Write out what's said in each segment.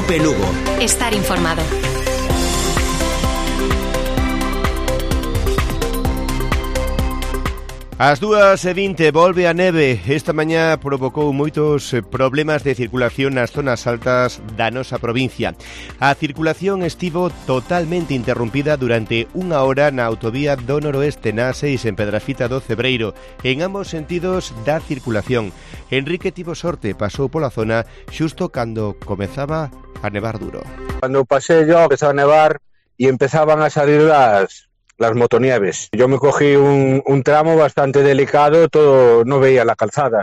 Cope Lugo. Estar informado. Ás 2:20 volve a neve. Esta mañá provocou moitos problemas de circulación nas zonas altas da nosa provincia. A circulación estivo totalmente interrumpida durante unha hora na autovía do Noroeste na A6 en Pedrafita do Cebreiro, en ambos sentidos da circulación. Enrique tivo sorte, pasou pola zona xusto cando comezaba a nevar duro. Cuando pasé yo empezó a nevar y empezaban a salir las motonieves. Yo me cogí un tramo bastante delicado, todo no veía la calzada.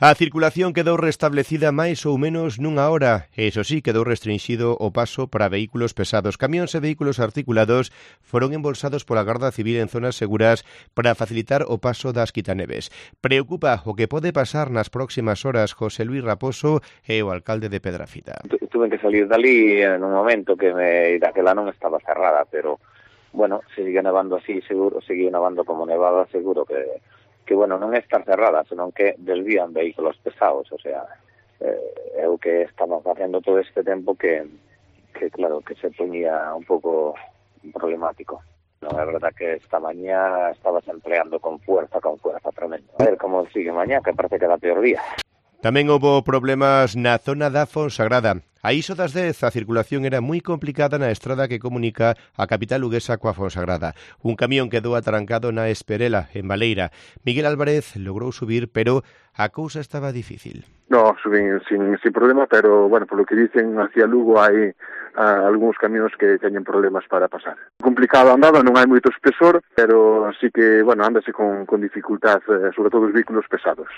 A circulación quedou restablecida máis ou menos nunha hora. Eso sí, quedou restringido o paso para vehículos pesados. Camións e vehículos articulados foron embolsados pola Garda Civil en zonas seguras para facilitar o paso das quitaneves. Preocupa o que pode pasar nas próximas horas. José Luis Raposo é o alcalde de Pedrafita. Tuve que salir dali en un momento que daquela non estaba cerrada, pero bueno, sigue nevando así, seguro, sigue nevando como nevada, seguro que bueno, non é estar cerrada, senón que desvían vehículos pesados, o sea, é o que estamos facendo todo este tempo que claro, que se poñía un pouco problemático. Non é verdad que esta mañá estabas empleando con fuerza tremenda. A ver como sigue mañá, que parece que era peor día. Tamén houbo problemas na zona da Fonsagrada. A iso das 10 a circulación era moi complicada na estrada que comunica a capital luguesa coa Fonsagrada. Un camión quedou atrancado na Esperela, en Baleira. Miguel Álvarez logrou subir, pero a cousa estaba difícil. No, subín sin problema, pero, bueno, por lo que dicen, hacia Lugo hai algúns camións que teñen problemas para pasar. Complicado a andada, non hai moito espesor, pero sí que, bueno, ándase con dificultad, sobre todo os vehículos pesados.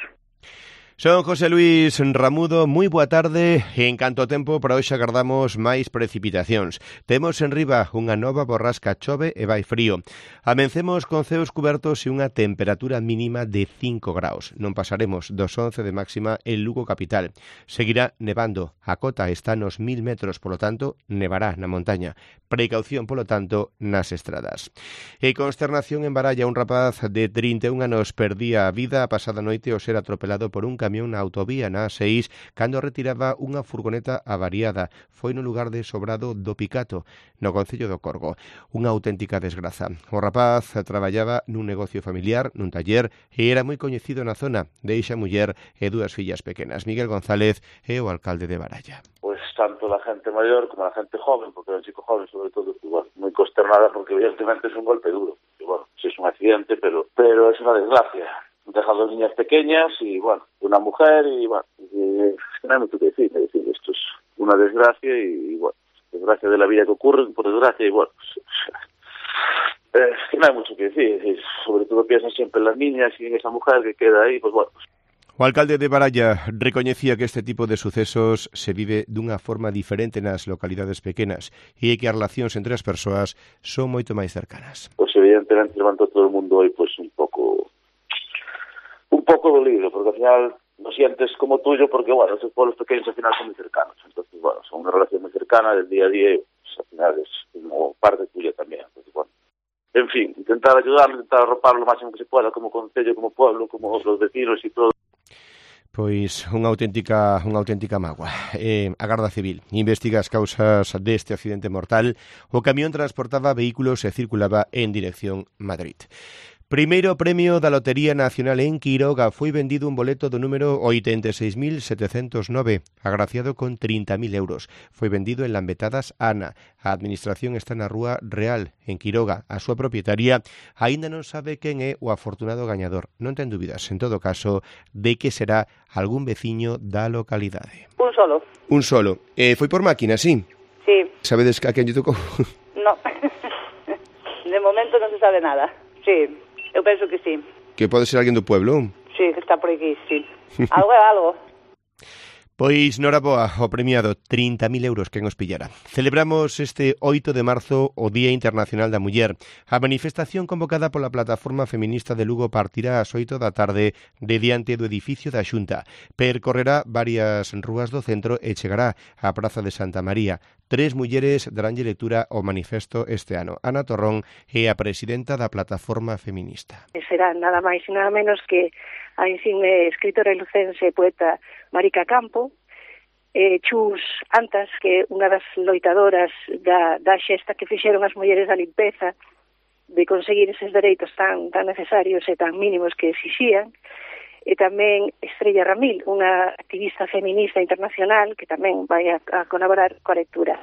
Son José Luis Ramudo, moi boa tarde. En canto ao tempo, para hoxe agardamos máis precipitacións. Temos en riba unha nova borrasca, chove e vai frío. Amencemos con ceos cubertos e unha temperatura mínima de 5 graus. Non pasaremos dos 11 de máxima en Lugo capital. Seguirá nevando. A cota está nos 1000 metros, polo tanto, nevará na montaña. Precaución, polo tanto, nas estradas. E consternación en Baralla, un rapaz de 31 anos perdía a vida a pasada noite ao ser atropelado por un camión na autovía na A6 cando retiraba unha furgoneta avariada. Foi no lugar de Sobrado do Picato, no concello do Corgo. Unha auténtica desgraza. O rapaz traballaba nun negocio familiar, nun taller, e era moi coñecido na zona. Deixa muller e dúas fillas pequenas. Miguel González é o alcalde de Baralla. Pues tanto la gente mayor como la gente joven, porque el chico joven sobre todo, igual, muy consternada porque evidentemente es un golpe duro. Y bueno, sí es un accidente, pero es una desgracia. Deja dos niñas pequeñas y bueno, una mujer y bueno, no hay mucho que decir, esto es una desgracia y bueno, desgracia de la vida que ocurre, por desgracia y bueno, no hay mucho que decir, sobre todo piensan siempre en las niñas y en esa mujer que queda ahí, pues bueno. O alcalde de Baralla recoñecía que este tipo de sucesos se vive dunha forma diferente nas localidades pequenas e que as relacións entre as persoas son moito máis cercanas. Pues evidentemente levantó todo el mundo hoy pues un poco dolido, porque al final lo sientes como tuyo, porque bueno, esos pueblos pequeños al final son muy cercanos, entonces bueno, son una relación muy cercana del día a día y pues, al final es como parte tuya también, entonces bueno. En fin, intentar ayudarlo, intentar arroparlo lo máximo que se pueda, como concello, como pueblo, como los vecinos y todo. Pois unha auténtica mágoa. A Garda Civil investiga as causas deste accidente mortal. O camión transportaba vehículos e circulaba en dirección Madrid. Primeiro premio da Lotería Nacional en Quiroga. Foi vendido un boleto do número 86.709, agraciado con 30.000 euros. Foi vendido en Lambetadas Ana. A administración está na Rúa Real, en Quiroga. A súa propietaria aínda non sabe quen é o afortunado gañador. Non ten dúbidas, en todo caso, de que será algún veciño da localidade. Un solo. Foi por máquina, sí? Sí. Sabedes a quen lle tocou? No. De momento non se sabe nada. Sí. Eu penso que sí. Que pode ser alguén do pueblo? Sí, que está por aquí, sí. Algo é algo. Pois noraboa ao premiado, 30.000 euros quen os pillara. Celebramos este 8 de marzo o Día Internacional da Muller. A manifestación convocada pola Plataforma Feminista de Lugo partirá ás 8 da tarde de diante do edificio da Xunta. Percorrerá varias rúas do centro e chegará á Praza de Santa María. 3 mulleres daránlle lectura ao manifesto este ano. Ana Torrón é a presidenta da Plataforma Feminista. Será nada máis e nada menos que a insigne escritora e lucense poeta Marica Campo, Chus Antas, que é unha das loitadoras da xesta que fixeron as mulleres da limpeza, de conseguir eses dereitos tan necesarios e tan mínimos que exixían, e tamén Estrella Ramil, unha activista feminista internacional que tamén vai a colaborar coa lectura.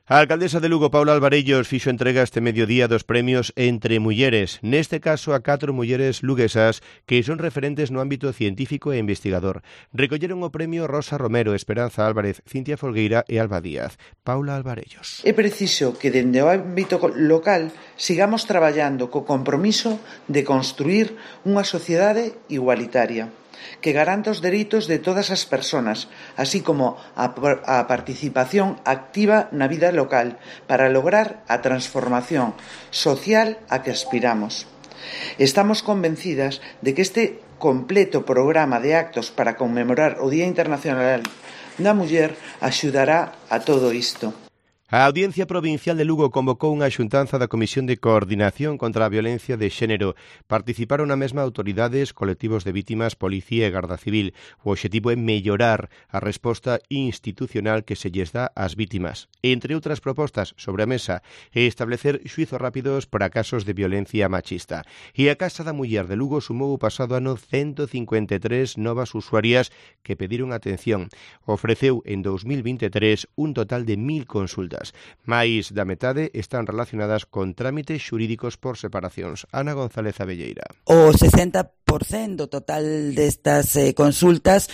A alcaldesa de Lugo, Paula Alvarellos, fixo entrega este mediodía dos premios Entre Mulleres, neste caso a 4 mulleres luguesas que son referentes no ámbito científico e investigador. Recolleron o premio Rosa Romero, Esperanza Álvarez, Cintia Folgueira e Alba Díaz. Paula Alvarellos. É preciso que dende o ámbito local sigamos traballando co compromiso de construir unha sociedade igualitaria, que garanta os dereitos de todas as persoas, así como a participación activa na vida local para lograr a transformación social a que aspiramos. Estamos convencidas de que este completo programa de actos para conmemorar o Día Internacional da Muller axudará a todo isto. A Audiencia Provincial de Lugo convocou unha xuntanza da Comisión de Coordinación contra a Violencia de Xénero. Participaron na mesma autoridades, colectivos de vítimas, policía e garda civil. O obxectivo é mellorar a resposta institucional que se lles dá ás vítimas. Entre outras propostas sobre a mesa, é establecer xuizos rápidos para casos de violencia machista. E a Casa da Muller de Lugo sumou o pasado ano 153 novas usuarias que pediron atención. Ofreceu en 2023 un total de 1000 consultas. Mais da metade están relacionadas con trámites xurídicos por separacións. Ana González Abelleira. O 60% do total destas consultas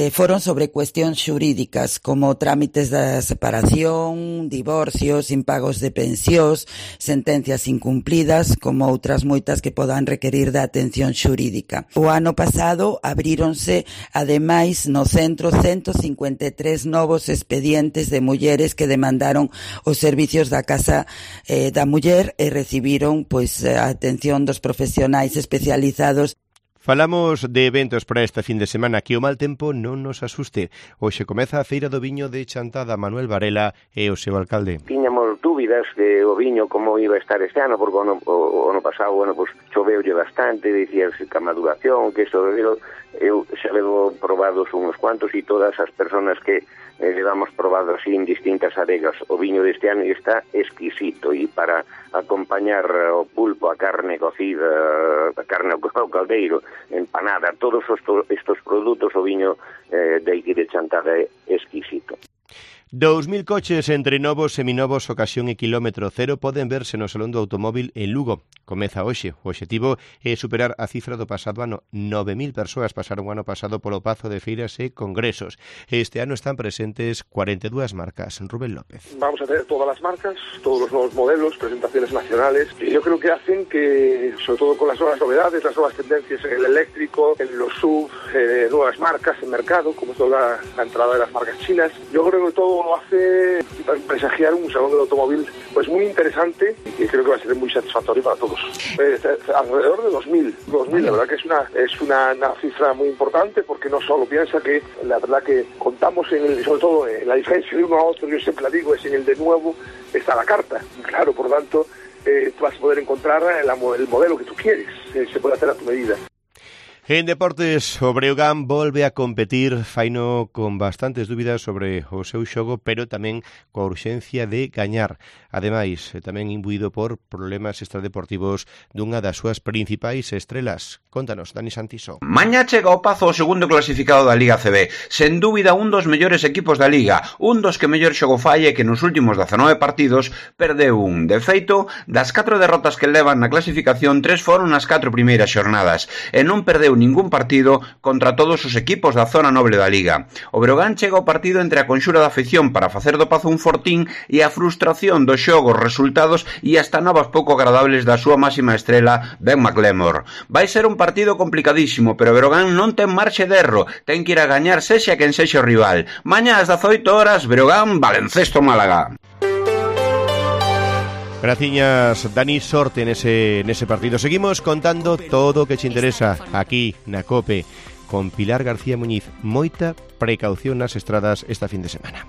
foron sobre cuestións xurídicas, como trámites da separación, divorcios, impagos de pensións, sentencias incumplidas, como outras moitas que podan requerir da atención xurídica. O ano pasado abríronse, ademais, no centro 153 novos expedientes de mulleres que demandaron os servicios da Casa da Muller e recibiron a atención dos profesionais especializados. Falamos de eventos para esta fin de semana, que o mal tempo non nos asuste. Hoxe comeza a Feira do Viño de Chantada. Manuel Varela e o seu alcalde. Tiñamos dúbidas de o viño como iba a estar este ano, porque o ano pasado, choveulle bastante, dicíase que a maduración, que isto, eu xa levo probados uns cuantos e todas as persoas que levamos probado así en distintas adegas. O viño deste ano está exquisito, e para acompañar o pulpo, a carne cocida, a carne ao caldeiro, empanada, todos estos produtos, o viño de aquí de Chantada é exquisito. 2000 coches entre novos, seminovos, ocasión e kilómetro cero poden verse no Salón do Automóvil en Lugo. Comeza hoxe. O obxectivo é superar a cifra do pasado ano. 9000 persoas pasaron o ano pasado polo Pazo de Feiras e Congresos. Este ano están presentes 42 marcas. Rubén López. Vamos a tener todas las marcas, todos los nuevos modelos, presentaciones nacionales, que yo creo que hacen que, sobre todo con las nuevas novedades, las nuevas tendencias en el eléctrico, en los SUV, nuevas marcas en mercado, como toda la entrada de las marcas chinas, yo creo que todo lo hace presagiar un salón del automóvil pues muy interesante y que creo que va a ser muy satisfactorio para todos. Alrededor de 2000, la verdad que es una cifra muy importante, porque no solo piensa que la verdad que contamos sobre todo en la diferencia de uno a otro, yo siempre la digo, es en el de nuevo está la carta, claro, por lo tanto tú vas a poder encontrar el modelo que tú quieres, se puede hacer a tu medida. En deportes, o Breogán volve a competir, faino con bastantes dúbidas sobre o seu xogo, pero tamén coa urxencia de gañar. Ademais, tamén imbuído por problemas extradeportivos dunha das súas principais estrelas. Contanos, Dani Santiso. Mañá chega ao Pazo o segundo clasificado da Liga CB. Sen dúbida un dos mellores equipos da Liga, un dos que mellor xogo fai e que nos últimos 19 partidos perdeu un. De feito, das 4 derrotas que levan na clasificación, 3 foron nas 4 primeiras xornadas, e non perdeu ningún partido contra todos os equipos da zona noble da Liga. O Breogán chega ao partido entre a conxura da afección para facer do Pazo un fortín e a frustración dos xogos, resultados e hasta novas pouco agradables da súa máxima estrela, Ben McLemore. Vai ser un partido complicadísimo, pero o Breogán non ten marxe de erro, ten que ir a gañar sexa quen sexa o rival. Mañá ás 18 horas, Breogán, Baloncesto Málaga. Graciñas, Dani, sorte nese partido. Seguimos contando todo o que te interesa aquí na COPE con Pilar García Muñiz. Moita precaución nas estradas esta fin de semana.